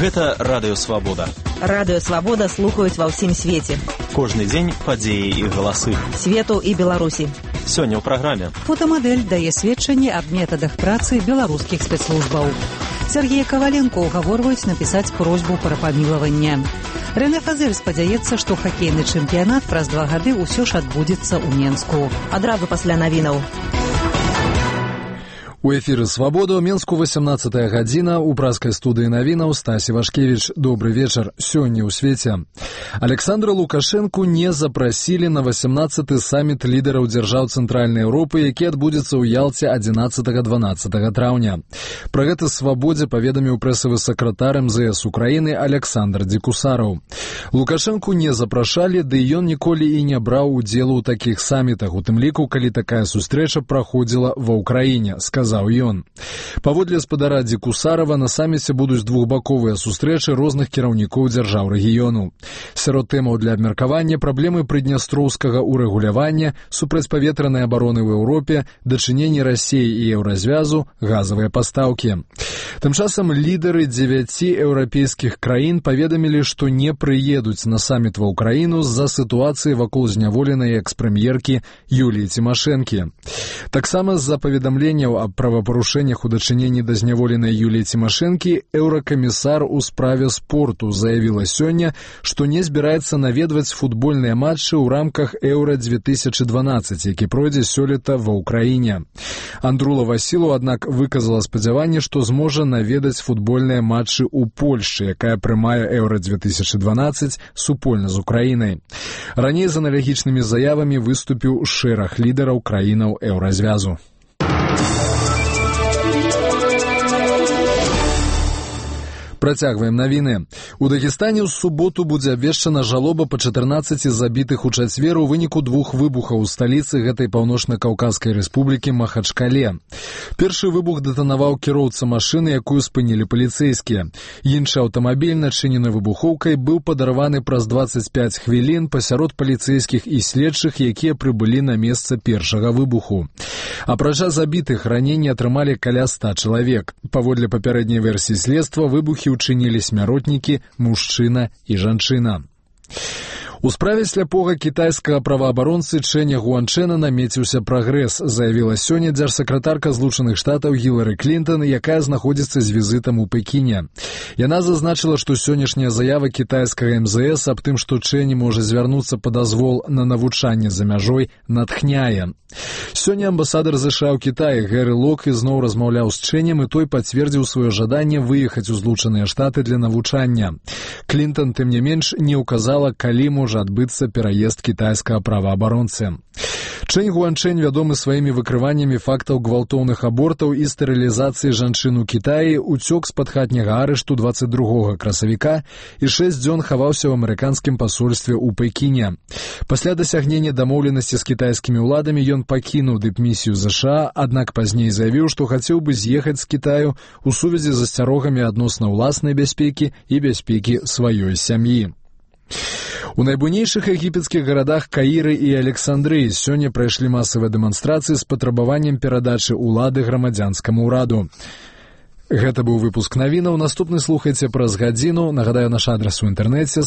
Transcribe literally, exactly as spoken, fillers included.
Гэта Радыё Свабода. Радыё Свабода слухаюць ва ўсім свеце. Кожны дзень падзеі і галасы. Свету і Беларусі. Сёння ў праграме. Фотамадэль дае сведчанне аб метадах працы беларускіх спецслужбаў. Сергея Коваленко угаворваюць напісаць просьбу пра памілаванне. Рэне Фазель спадзяецца, што хакейны чэмпіянат праз два гады ўсё ж адбудзецца ў Менску. Адразу пасля навінаў. У эфіры «Свабода» ў Менску восемнадцатая гадзіна, у праскай студыі навінаў Стасі Вашкевіч. Добры вечар. Сёння ў свеце. Александра Лукашэнку не запрасілі на восемнадцаты саміт лідараў дзяржаў Цэнтральнай Еўропы, які адбудзецца ў Ялце адзінаццатага-дванаццатага траўня. Пра гэта «Свабодзе» паведаміў прэсавы сакратар эм зэ эс Украіны Александр Дзекусараў. Лукашэнку не запрашалі, ды ён ніколі і не браў удзелу ў такіх самітах, у тым ліку, калі такая сустрэча праходзіла ва Ўкраіне, сказаў ён. Паводле спадара Дзекусарава, на саміце будуць двухбаковыя сустрэчы розных кіраўнікоў дзяржаў рэгіёну. Сярод тэмаў для абмеркавання праблемы прыднястроўскага ўрэгулявання, супрацьпаветранай абароны ў Еўропе, дачыненні Расіі і еўразвязу, газавыя пастаўкі. Тым часам лідары дзевяці еўрапейскіх краін паведамілі, што не прыедуць на саміт ва Ўкраіну з-за сітуацыі вакол зняволенай экс-прэм'еркі Юліі Цімашэнкі. Таксама з-за паведамленняў аб правапарушэннях у дачыненні да зняволенай Юліі Цімашэнкі еўракамісар у справе спорту заявіла сёння, што не збіраецца наведваць футбольныя матчы ў рамках Еўра две тысячы дванаццаць, які пройдзе сёлета ва Ўкраіне. Андрула Васілу, аднак, выказала спадзяванне, што зможа наведаць футбольныя матчы ў Польшчы, якая прымае Еўра две тысячы дванаццаць супольна з Украінай. Раней з аналагічнымі заявамі выступіў шэраг лідараў краінаў еўразвязу. Працягваем навіны. У Дагестане ў суботу будзе абвешчана жалоба па чатырнаццаці забітых у чацвер у выніку двух выбухаў у сталіцы гэтай паўночна-каўказскай рэспублікі Махачкале. Першы выбух дэтанаваў кіроўца машыны, якую спынілі паліцэйскія. Іншы аўтамабіль, начынены выбухоўкай, быў падарваны праз дваццаць пяць хвілін пасярод паліцэйскіх і следчых, якія прыбылі на месца першага выбуху. Апрача забітых, раненні атрымалі каля ста чалавек. Паводле папярэдняй версіі следства, выбухі учынілі смяротнікі, мужчына і жанчына. У справе сляпога кітайскага праваабаронцы Чэня Гуанчэна намеціўся прагрэс, заявіла сёння дзяржсакратарка Злучаных Штатаў Гілары Клінтон, якая знаходзіцца з візітам у Пекіне. Яна зазначыла, што сённяшняя заява кітайскага эм зэ эс аб тым, што Чэні можа звярнуцца па дазвол на навучанне за мяжой, натхняе. Сёння амбасадар ЗША ў Кітаі Гэры Лок ізноў размаўляў з Чэнем, і той пацвердзіў сваё жаданне выехаць у Злучаныя Штаты для навучання. Клінтон, тым не менш, не ўказала, калі можа адбыцца пераезд кітайскага праваабаронцы. Чэнь Гуанчэнь вядомы сваімі выкрываннямі фактаў гвалтоўных абортаў і стэрылізацыі жанчын у Кітаі, уцёк з-пад хатняга арышту дваццаць другога красавіка і шэсць дзён хаваўся ў амерыканскім пасольстве ў Пекіне. Пасля дасягнення дамоўленасці з кітайскімі ўладамі ён пакінуў дыпмісію ЗША, аднак пазней заявіў, што хацеў бы з'ехаць з Кітаю у сувязі з асцярогамі адносна ўласнай бяспекі і бяспекі сваёй сям'і. У найбуйнейшых егіпецкіх гарадах Каіры і Александрыі сёння прайшлі масавыя дэманстрацыі з патрабаваннем перадачы ўлады грамадзянскаму ўраду. Гэта быў выпуск навінаў. Наступны слухайце праз гадзіну. Нагадаю, наш адрас у інтэрнэце